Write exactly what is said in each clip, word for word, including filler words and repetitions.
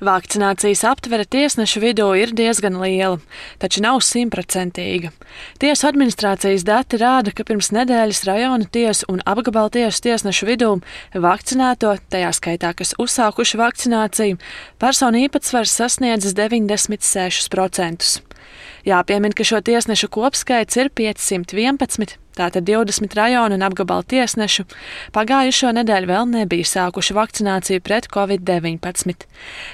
Vakcinācijas aptvere tiesnešu vidū ir diezgan liela, taču nav simtprocentīga. Tiesu administrācijas dati rāda, ka pirms nedēļas rajona tiesu un apgabala tiesu tiesnešu vidū vakcinēto, tajā skaitā, kas uzsākuši vakcināciju, personu īpatsvars sasniedzis deviņdesmit sešus procentus. Jāpiemin, ka šo tiesnešu kopskaits ir piecsimt vienpadsmit, tātad divdesmit rajonu un apgabala tiesnešu, pagājušo nedēļu vēl nebija sākuši vakcināciju pret covid deviņpadsmit.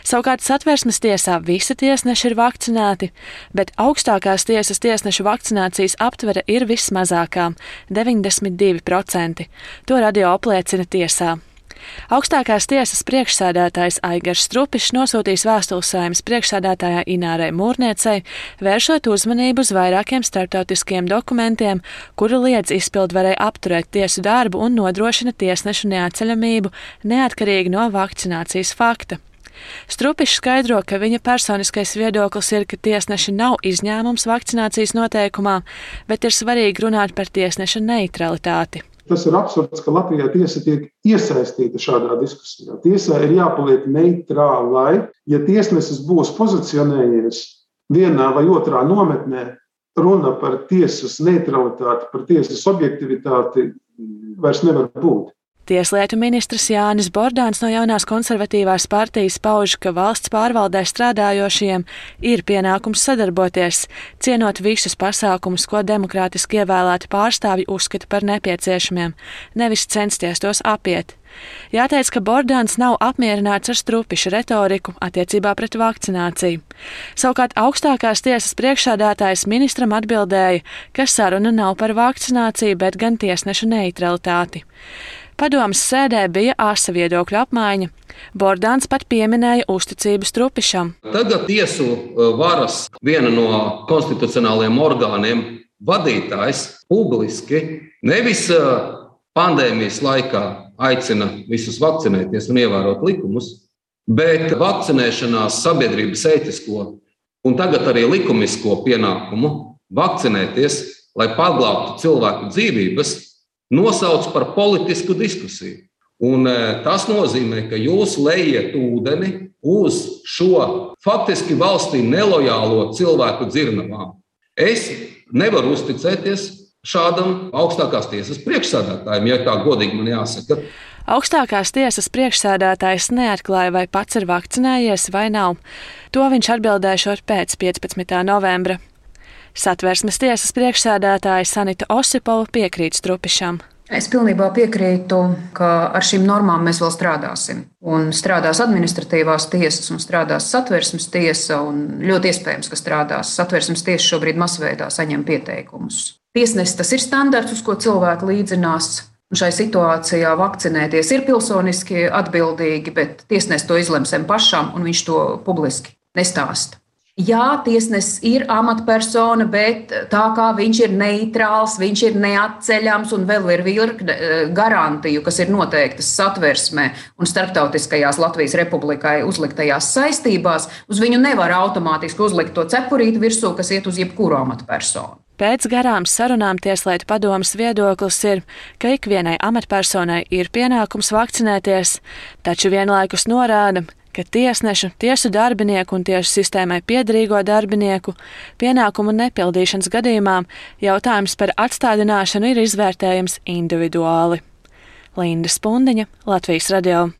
Savukārt Satversmes tiesā visi tiesneši ir vakcinēti, bet augstākās tiesas tiesnešu vakcinācijas aptvere ir vismazākā - deviņdesmit divi procenti. To radio apliecina tiesā. Augstākās tiesas priekšsēdētājs Aigars Strupišs nosūtīs vēstuli Saeimas priekšsēdētājai Inārai Mūrniecei, vēršot uzmanību uz vairākiem starptautiskiem dokumentiem, kuri liedz izpildvarei apturēt tiesu darbu un nodrošina tiesnešu neatceļamību neatkarīgi no vakcinācijas fakta. Strupišs skaidro, ka viņa personiskais viedoklis ir, ka tiesneši nav izņēmums vakcinācijas noteikumā, bet ir svarīgi runāt par tiesneša neutralitāti. Tas ir absurds, ka Latvijā tiesa tiek iesaistīta šādā diskusijā. Tiesā ir jāpaliek neitrālai. Ja tiesnesis būs pozicionējies vienā vai otrā nometnē, runa par tiesas neutralitāti, par tiesas objektivitāti vairs nevar būt. Tieslietu ministrs Jānis Bordāns no Jaunās konservatīvās partijas pauž, ka valsts pārvaldē strādājošiem ir pienākums sadarboties, cienot visus pasākumus, ko demokrātiski ievēlēti pārstāvji uzskata par nepieciešamiem, nevis censties tos apiet. Jāteic, ka Bordāns nav apmierināts ar Strupiša retoriku attiecībā pret vakcināciju. Savukārt augstākās tiesas priekšsēdētājs ministram atbildēja, ka saruna nav par vakcināciju, bet gan tiesnešu neutralitāti. Padomes sēdē bija asa viedokļu apmaiņa. Bordāns pat pieminēja uzticību Strupišam. Tagad tiesu varas viena no konstitucionālajiem orgāniem vadītājs publiski nevis pandēmijas laikā aicina visus vakcinēties un ievērot likumus, bet vakcinēšanās sabiedrības ētisko un tagad arī likumisko pienākumu vakcinēties, lai paglābtu cilvēku dzīvības, nosauc par politisku diskusiju. Un tas nozīmē, ka jūs lejiet ūdeni uz šo faktiski valstī nelojālo cilvēku dzirnavām. Es nevaru uzticēties šādam augstākās tiesas priekšsēdētājiem, ja tā godīgi man jāsaka. Augstākās tiesas priekšsēdētājs neatklāja, vai pats ir vakcinējies vai nav. To viņš atbildēšot pēc piecpadsmitā novembra. Satversmes tiesas priekšsēdētāja Sanita Osipova piekrīt Strupišam. Es pilnībā piekrītu, ka ar šīm normām mēs vēl strādāsim. Un strādās administratīvās tiesas un strādās Satversmes tiesa, un ļoti iespējams, ka strādās Satversmes tiesa šobrīd masveidā saņem pieteikumus. Tiesnesis tas ir standarts, uz ko cilvēki līdzinās. Un šai situācijā vakcinēties ir pilsoniski atbildīgi, bet tiesnesis to izlemsim pašam, un viņš to publiski nestāsta. Jā, tiesnesis ir amatpersona, bet tā kā viņš ir neitrāls, viņš ir neatceļams un vēl ir virkne garantiju, kas ir noteiktas Satversmē un starptautiskajās Latvijas Republikai uzliktajās saistībās, uz viņu nevar automātiski uzlikt to cepurīti virsū, kas iet uz jebkuru amatpersonu. Pēc garām sarunām Tieslietu padomes viedoklis ir, ka ikvienai amatpersonai ir pienākums vakcinēties, taču vienlaikus norāda, ka tiesnešu, tiesu darbinieku un tiesu sistēmai piederīgo darbinieku pienākumu nepildīšanas gadījumā jautājums par atstādināšanu ir izvērtējams individuāli. Linda Spundiņa, Latvijas radio.